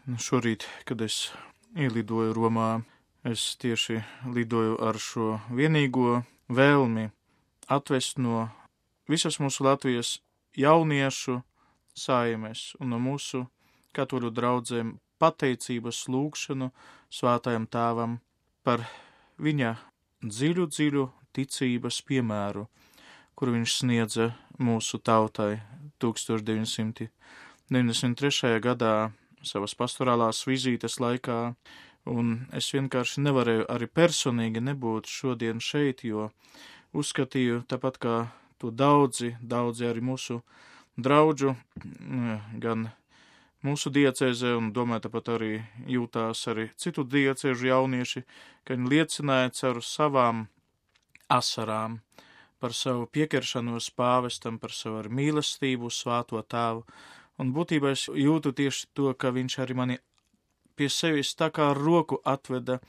Šorīt, kad es ielidoju Romā, es tieši lidoju ar šo vienīgo vēlmi atvest no visas mūsu Latvijas jauniešu saimes un no mūsu katoļu draudzēm pateicības lūgšanu Svētajam Tēvam par viņa dziļu ticības piemēru, kuru viņš sniedza mūsu tautai 1993. gadā savas pastorālās vizītes laikā, un es vienkārši nevarēju arī personīgi nebūt šodien šeit, jo uzskatīju, tāpat kā to daudzi arī mūsu draudžu, gan mūsu diecēzē, un domāju, tāpat arī jūtās arī citu diecēžu jaunieši, ka viņi liecināja caur savām asarām par savu pieķeršanos pāvestam, par savu ar mīlestību Svēto Tēvu. Un būtībā es jūtu tieši to, ka viņš arī mani pie sevis tā kā roku atveda,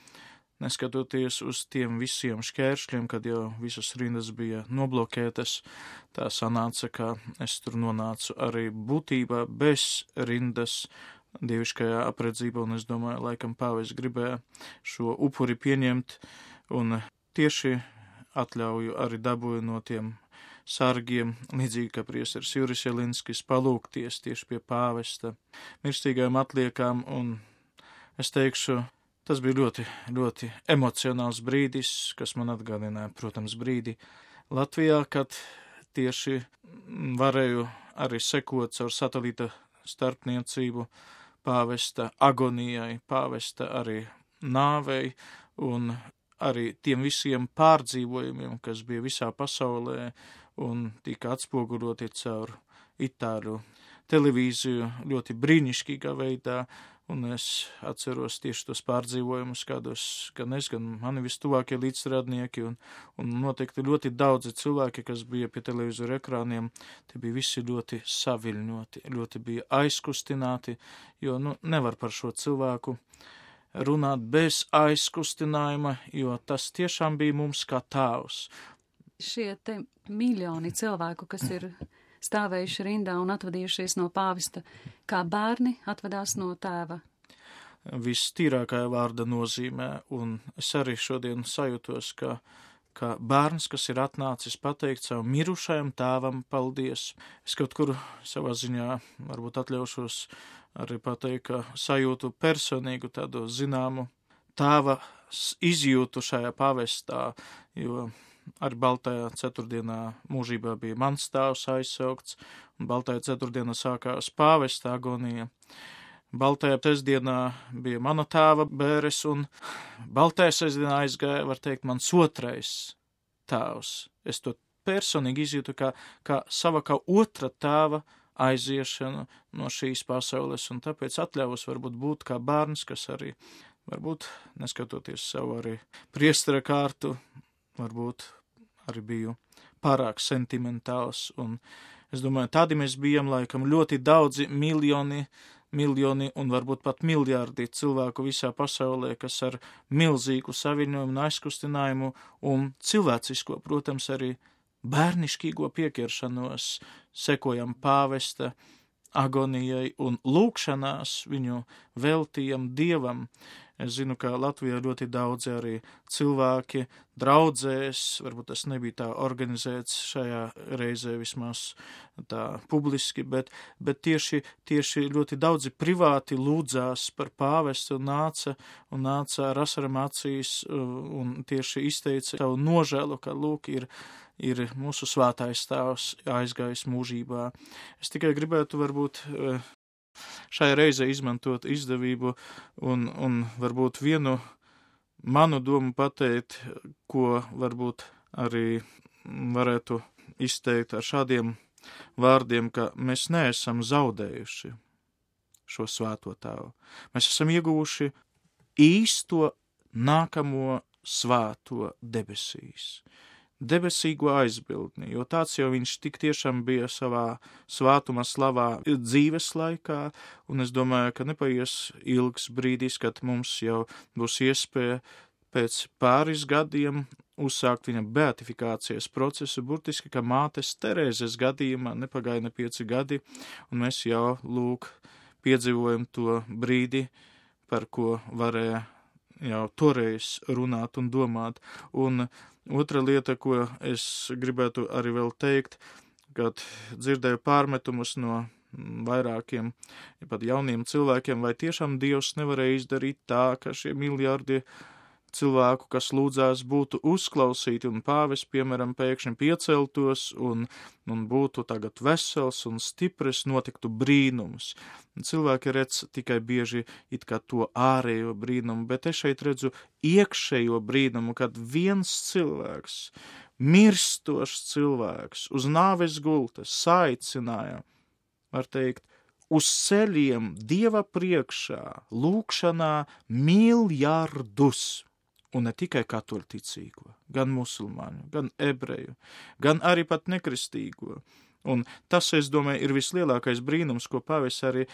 neskatoties uz tiem visiem šķēršļiem, kad jau visas rindas bija noblokētas. Tā sanāca, ka es tur nonācu arī būtībā bez rindas dieviškajā apredzībā, un es domāju, laikam pāvis gribēja šo upuri pieņemt, un tieši atļauju arī dabūju no tiem sargiem, līdzīgi kā priesteris Juris Jelinskis, palūgties tieši pie pāvesta mirstīgajām atliekām, un es teikšu, tas bija ļoti emocionāls brīdis, kas man atgādināja, protams, brīdi Latvijā, kad tieši varēju arī sekot caur satelīta starpniecību pāvesta agonijai, pāvesta arī nāvei un arī tiem visiem pārdzīvojumiem, kas bija visā pasaulē un tika atspoguļoti caur itāļu televīziju ļoti brīnišķīgā veidā, un es atceros tieši tos pārdzīvojumus, kādos gan es, gan mani vistuvākie līdzstrādnieki, un noteikti ļoti daudzi cilvēki, kas bija pie televizoru ekrāniem, tie bija visi ļoti saviļņoti, ļoti bija aizkustināti, jo nevar par šo cilvēku runāt bez aizkustinājuma, jo tas tiešām bija mums kā tēvs. Šie te miljoni cilvēku, kas ir stāvējuši rindā un atvadījušies no pāvesta, kā bērni atvadās no tēva? Vistīrākajā vārda nozīmē, un es arī šodien sajūtos, ka bērns, kas ir atnācis pateikt savu mirušajam tēvam paldies. Es kaut kur savā ziņā varbūt atļaušos arī pateikt, ka sajūtu personīgu tādu zināmu tēva izjūtu šajā pavestā, jo arī Baltajā ceturtdienā mūžībā bija mans tēvs aizsaukts, un Baltajā ceturtdienā sākās pāvesta agonija. Baltajā sestdienā bija mana tēva bēres, un Baltajā sestdienā aizgāja, var teikt, mans otrais tēvs. Es to personīgi izjūtu kā sava kā otra tēva aiziešanu no šīs pasaules, un tāpēc atļaus varbūt būt kā bērns, kas arī, varbūt, neskatoties savu arī priestera kārtu, varbūt arī biju pārāk sentimentāls, un es domāju, tādi mēs bijām laikam ļoti daudzi miljoni un varbūt pat miljārdi cilvēku visā pasaulē, kas ar milzīgu saviņojumu un aizkustinājumu un cilvēcisko, protams, arī bērnišķīgo pieķeršanos sekojam pāvesta agonijai un lūkšanās viņu veltījam Dievam. Es zinu, ka Latvijā ļoti daudzi arī cilvēki draudzēs, varbūt tas nebija tā organizēts šajā reizē vismaz tā publiski, bet tieši ļoti daudzi privāti lūdzās par pāvestu un nāca ar asaram acīs un tieši izteica savu nožēlu, ka lūk ir mūsu svētais tēvs aizgājis mūžībā. Es tikai gribētu varbūt šai reizē izmantot izdevību un varbūt vienu manu domu pateikt, ko varbūt arī varētu izteikt ar šādiem vārdiem, ka mēs neesam zaudējuši šo svēto tēvu. Mēs esam ieguvuši īsto nākamo svēto debesīs. Debesīgo aizbildni, jo tāds jau viņš tik tiešām bija savā svētuma slavā dzīves laikā, un es domāju, ka nepaies ilgs brīdis, kad mums jau būs iespēja pēc pāris gadiem uzsākt viņa beatifikācijas procesu, burtiski, kā mātes Terēzes gadījumā nepagaida 5 gadi, un mēs jau piedzīvojam to brīdi, par ko varēja jau toreiz runāt un domāt. Un otra lieta, ko es gribētu arī vēl teikt, kad dzirdēju pārmetumus no vairākiem, pat jauniem cilvēkiem, vai tiešām Dievs nevarēja izdarīt tā, ka šie miljardi cilvēku, kas lūdzās, būtu uzklausīti, un pāvests, piemēram, pēkšņi pieceltos un būtu tagad vesels un stiprs, notiktu brīnums. Cilvēki redz tikai bieži it kā to ārējo brīnumu, bet es šeit redzu iekšējo brīnumu, kad viens cilvēks, mirstošs cilvēks, uz nāves gultas saicināja, var teikt, uz ceļiem Dieva priekšā, lūkšanā miljardus. Un ne tikai katoļticīgo, gan musulmaņu, gan ebreju, gan arī pat nekristīgo. Un tas, es domāju, ir vislielākais brīnums, ko pāvests arī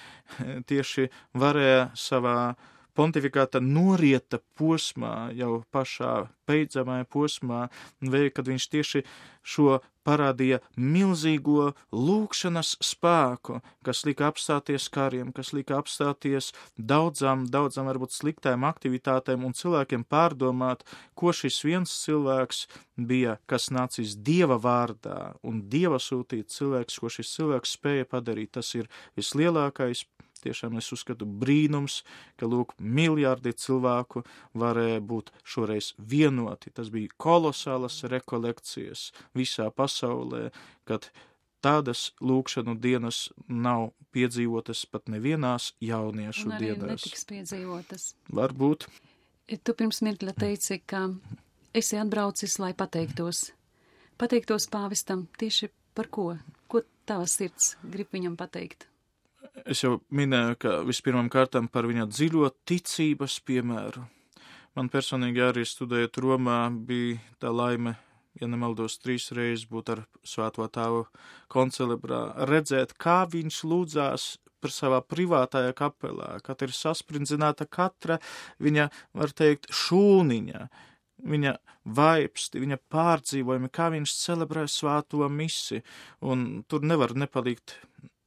tieši varēja savā pontifikāta norieta posmā, jau pašā beidzamajā posmā, kad viņš tieši šo parādīja milzīgo lūkšanas spēku, kas lika apstāties kariem, kas lika apstāties daudzām varbūt sliktām aktivitātēm un cilvēkiem pārdomāt, ko šis viens cilvēks bija, kas nācis Dieva vārdā un Dieva sūtīts cilvēks, ko šis cilvēks spēja padarīt. Tas ir vislielākais, tiešām es uzskatu brīnums, ka, lūk, miljardi cilvēku varēja būt šoreiz vienoti. Tas bija kolosālas rekolekcijas visā pasaulē, kad tādas lūkšanu dienas nav piedzīvotas pat nevienās jauniešu un arī dienās. Netiks piedzīvotas. Varbūt. Tu pirms mirkļa teici, ka esi atbraucis, lai pateiktos. Pateiktos pāvestam tieši par ko? Ko tava sirds grib viņam pateikt? Es jau minēju, ka vispirmām kārtām par viņa dziļo ticības piemēru. Man personīgi arī studējot Romā bija tā laime, ja nemaldos 3 reizes būt ar Svēto Tēvu koncelebrā, redzēt, kā viņš lūdzās par savā privātajā kapelā, kad ir sasprindzināta katra viņa, var teikt, šūniņa, viņa vaipsti, viņa pārdzīvojumi, kā viņš celebrē svēto misi, un tur nevar nepalikt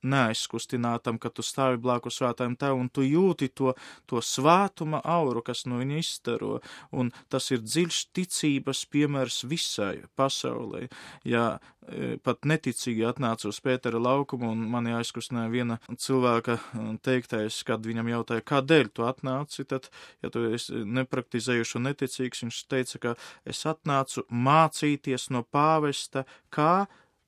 neaizkustinātam, ka tu stāvi blakus svētājiem Tēvam, un tu jūti to svētuma auru, kas no viņa izstaro, un tas ir dziļš ticības piemērs visai pasaulē. Ja pat neticīgi atnāca uz Pētera laukumu, un mani aizkustināja viena cilvēka teiktais, kad viņam jautāja, kādēļ tu atnāci, tad, ja tu esi nepraktizējuši un neticīgs, viņš teica, ka es atnācu mācīties no pāvesta, kā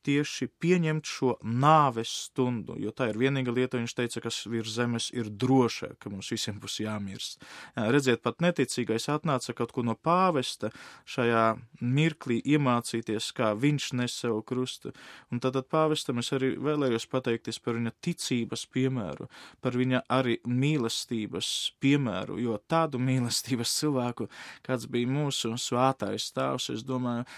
tieši pieņemt šo nāves stundu, jo tā ir vienīga lieta, viņš teica, kas virs zemes ir droša, ka mums visiem būs jāmirst. Redziet, pat neticīgais atnāca kaut ko no pāvesta šajā mirklī iemācīties, kā viņš nes savu krustu. Un tad pāvestam es arī vēlējos pateikties par viņa ticības piemēru, par viņa arī mīlestības piemēru, jo tādu mīlestības cilvēku, kāds bija mūsu svētais tēvs, es domāju,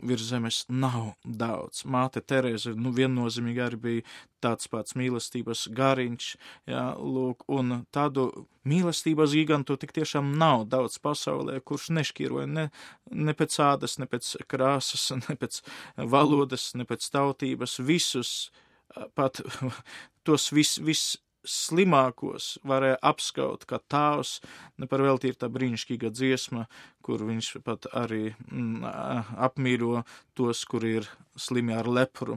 virs zemes nav daudz. Māte Terēze, viennozīmīgi arī bija tāds pats mīlestības gariņš, jā, lūk, un tādu mīlestības gigantu tik tiešām nav daudz pasaulē, kurš nešķiroja ne pēc ādas, ne pēc krāsas, ne pēc valodas, ne pēc tautības, visus, pat tos slimākos varēja apskaut, kā tēvs, neparvelti ir tā brīnišķīga dziesma, kur viņš pat arī apmīļo tos, kur ir slimi ar lepru,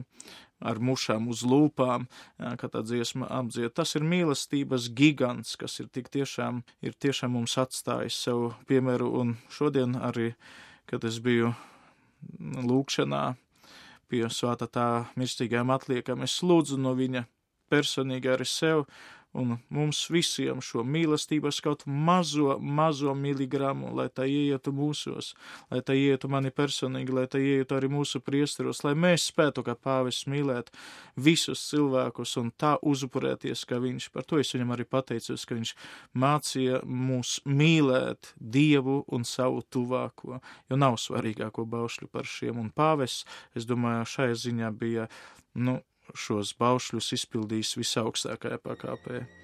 ar mušām uz lūpām, kā tā dziesma apdzied. Tas ir mīlestības gigants, kas ir tiešām mums atstājis savu piemēru, un šodien arī, kad es biju lūkšanā pie Svētā Tēva mirstīgajām atliekam, es lūdzu no viņa personīgi arī sev un mums visiem šo mīlestības kaut mazo miligramu, lai tā ieietu mūsos, lai tā ieietu mani personīgi, lai tā ieietu arī mūsu priesteros, lai mēs spētu, kā pāvests, mīlēt visus cilvēkus un tā uzupurēties, kā viņš. Par to es viņam arī pateicos, ka viņš mācīja mūs mīlēt Dievu un savu tuvāko, jo nav svarīgāko baušļu par šiem. Un pāvests, es domāju, šai ziņā bija, šos baušļus izpildījis visaugstākajā pakāpē.